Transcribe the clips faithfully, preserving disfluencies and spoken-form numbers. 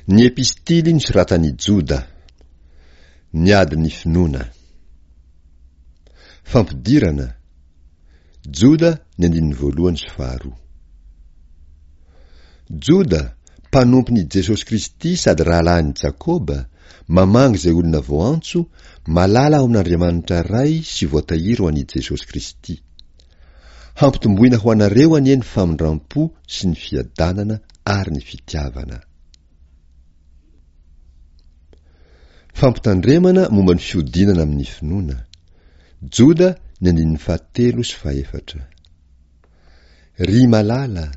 Ny epistily nosoratan'i Joda. Ny adin'ny finoana. Fampidirana. Joda ny andininy voalohany sy faharoa. Joda, mpanompon'i Jesosy Kristy sady rahalahin'i Jakoba, mamangy izay olona voantso, malala ao amin'Andriamanitra Ray sy voatahiry ho an'i Jesosy Kristy. Hampitomboina ho anareo anie ny famindram-po sy ny fiadanana ary ny fitiavana. Fampitandremana momba ny fihodinana amin'ny finoana. Joda ny andininy fahatelo sy fahefatra. Ry malala,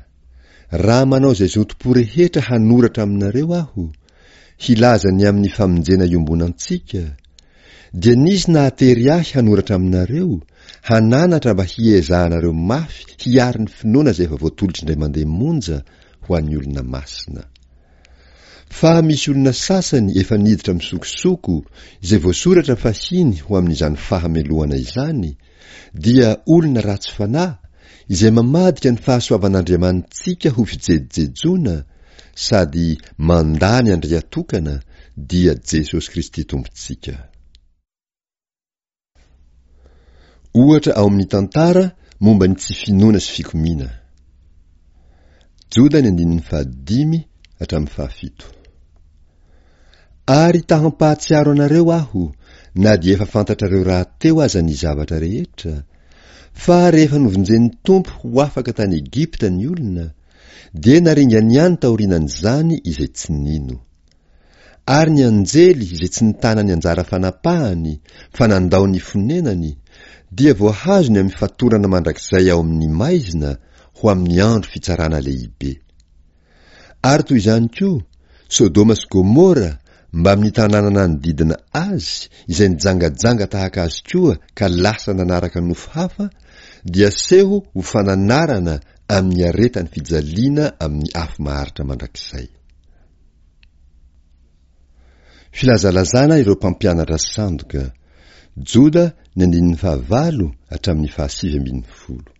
raha manao izay zotom-po rehetra hanoratra aminareo aho, hilaza ny amin'ny famonjena iombonantsika, dia nisy nahatery ahy hanoratra aminareo, hananatra mba hiezahanareo mafy hiaro ny finoana izay efa voatolotry indray mandeha monja ho an'ny olona masina. Fa misy olona sasany efa niditra misokosoko, izay voasoratra fahiny ho amin'izany fahamelohana izany, dia olona ratsy fanahy, izay mamadika ny fahasoavan'Andriamanitsika ho fijejojejoana, sady mandà ny Andriatokana, dia Jesosy Kristy Tompontsika. Ohatra ao amin'ny tantara momba ny tsy finoana sy fikomiana. Joda ny andininy fahadimy hatramin'ny fahafito. Ary ta hampahatsiaro anareo aho, na dia efa fantatrareo rahateo aza ny zavatra rehetra, fa rehefa novonjen'ny Tompo ho afaka tany Egypta ny olona, dia naringany ihany taorianan'izany izay tsy nino. Ary ny anjely izay tsy nitana ny anjara fanapahany fa nandao ny fonenany, dia voahazony amin'ny fatorana mandrakizay ao amin'ny maizina ho amin'ny andro fitsarana lehibe. Ary toy izany koa, Sodoma sy Gomora mbamin'ny tanàna nanodidina azy izay nijangajanga tahaka azy koa ka lasa nanaraka nofo hafa, dia seho ho fananarana amin'ny aretan'ny fijaliana amin'ny afo maharitra mandrakizay. Filazalazana ireo mpampianatra sandoka, Joda ny andininy fahavalo hatramin'ny fahasivy ambin'ny folo.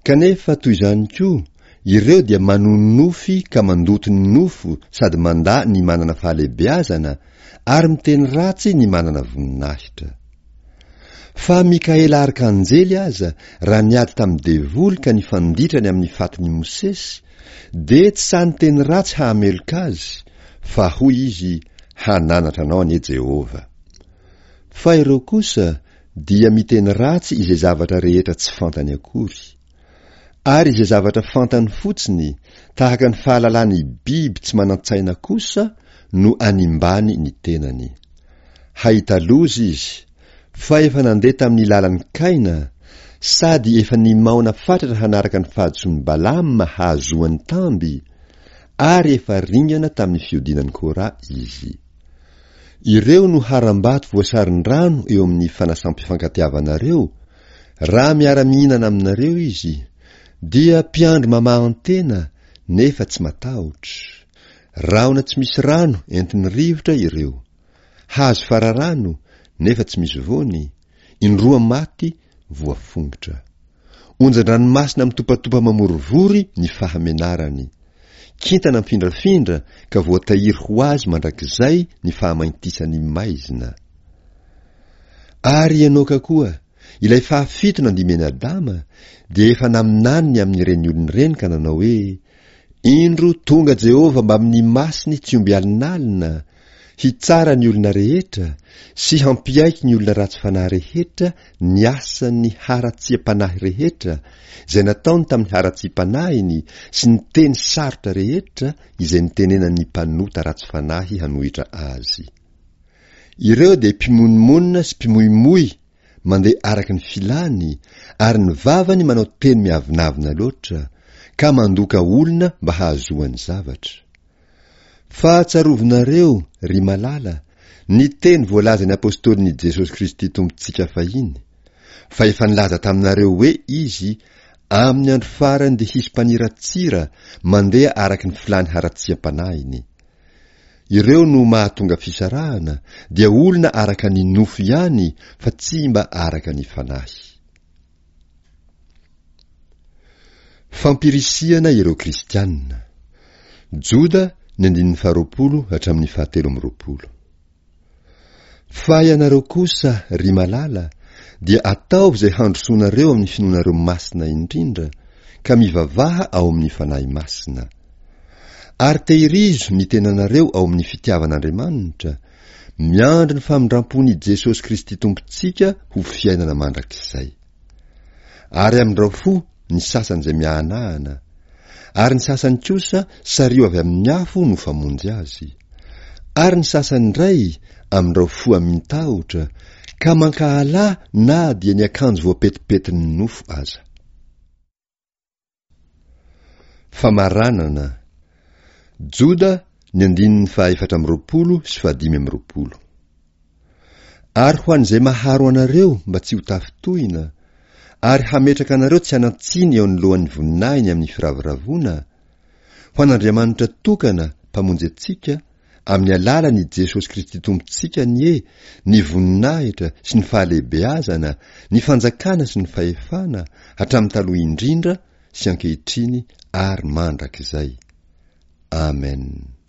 Kanefa toy izany koa, ireo dia manonofy ka mandoto ny nofo sady mandà ny manana fahalehibeazana ary miteny ratsy ny manana voninahitra. Fa Mikaela arkanjely aza, raha niady tamin'ny devoly ka nifanditra ny amin'ny fatin'i Mosesy, dia tsy sahy niteny ratsy hahameloka azy, fa hoy izy, Hananatra anao anie Jehovah. Fa ireo kosa dia miteny ratsy izay zavatra rehetra tsy fantany akory. Ary izay zavatra fantany fotsiny, tahaka ny fahalalan'ny biby tsy manan-tsaina kosa, no animbany ny tenany. Hahita loza izy, fa efa nandeha tamin'ny lalan'i Kaina, sady efa nimaona fatratra hanaraka ny fahadisoan'i Balama hahazoany tamby, ary efa ringana tamin'ny fihodinan'i Kora izy. Ireo no harambato voasarin-drano eo amin'ny fanasam-pifankatiavanareo, raha miara-mihinana aminareo izy, dia mpiandry mamahan-tena nefa tsy matahotra. Rahona tsy misy rano entin'ny rivotra ireo. Hazo fararano nefa tsy misy voany, indroa maty voafongotra. Onjan-dranomasina mitopatopa mamorivory ny fahamenarany. Kintana mifindrafindra ka voatahiry ho azy mandrakizay ny fahamaintisan'ny maizina. Ary Enoka koa, ilay fahafito nandimby an'i Adama, dia efa naminany ny amin'ireny olona ireny ka nanao hoe, Indro tonga Jehovah mbamin'ny masiny tsy omby alinalina, hitsara ny olona rehetra, sy hampiaiky ny olona ratsy fanahy rehetra ny asan'ny haratsiam-panahy rehetra, izay nataony tamin'ny haratsiam-panahiny sy ny teny sarotra rehetra izay nitenenan'ny mpanota ratsy fanahy hanohitra azy. Ireo dia mpimonomonona sy mpimoimoy mandeha araka ny filany, ary ny vavany manao teny miavonavona loatra, ka mandoka olona mba hahazoany zavatra. Fa tsarovinareo, ry malala, ny teny voalazan'ny apostolin'i Jesosy Kristy Tompontsika fahiny, fa efa nilaza taminareo hoe Izy, Amin'ny andro farany dia hisy mpaniratsira mandeha araka ny filany haratsiam-panahiny. Ireo no mahatonga fisarahana, dia olona araka ny nofo ihany fa tsy mba araka ny fanahy. Fampirisihana ireo Kristiana. Joda ny andininy faharoapolo hatramin'ny fahatelo amby roapolo. Fa ianareo kosa, ry malala, dia ataovy izay handrosoanareo amin'ny finoanareo masina indrindra, ka mivavaha ao amin'ny Fanahy Masina. Ary tehirizo ny tenanareo ao amin'ny fitiavan'Andriamanitra, miandry ny famindram-pon'i Jesosy Kristy Tompontsika ho fiainana mandrakizay. Ary amindrao fo ny sasany izay miahanahana, ary ny sasany kosa sariho avy amin'ny afo no famonjy azy. Ary ny sasany indray amindrao fo amin-tahotra, ka mankahala na dia ny akanjo voapetipetin'ny nofo aza. Famaranana. Joda ny andininy fahaefatra amby roapolo sy fahadimy amby roapolo. Ary ho an'izay maharo anareo mba tsy ho tafintohina, ary hametraka anareo tsy hanan-tsiny eo anoloan'ny voninahiny amin'ny firavoravoana, ho an'Andriamanitra tokana Mpamonjy antsika, amin'ny alalan' i Jesosy Kristy Tompontsika anie ny voninahitra sy ny fahalehibeazana, ny fanjakana sy ny fahefana, hatramin'ny taloha indrindra sy ankehitriny ary mandrakizay. Amen.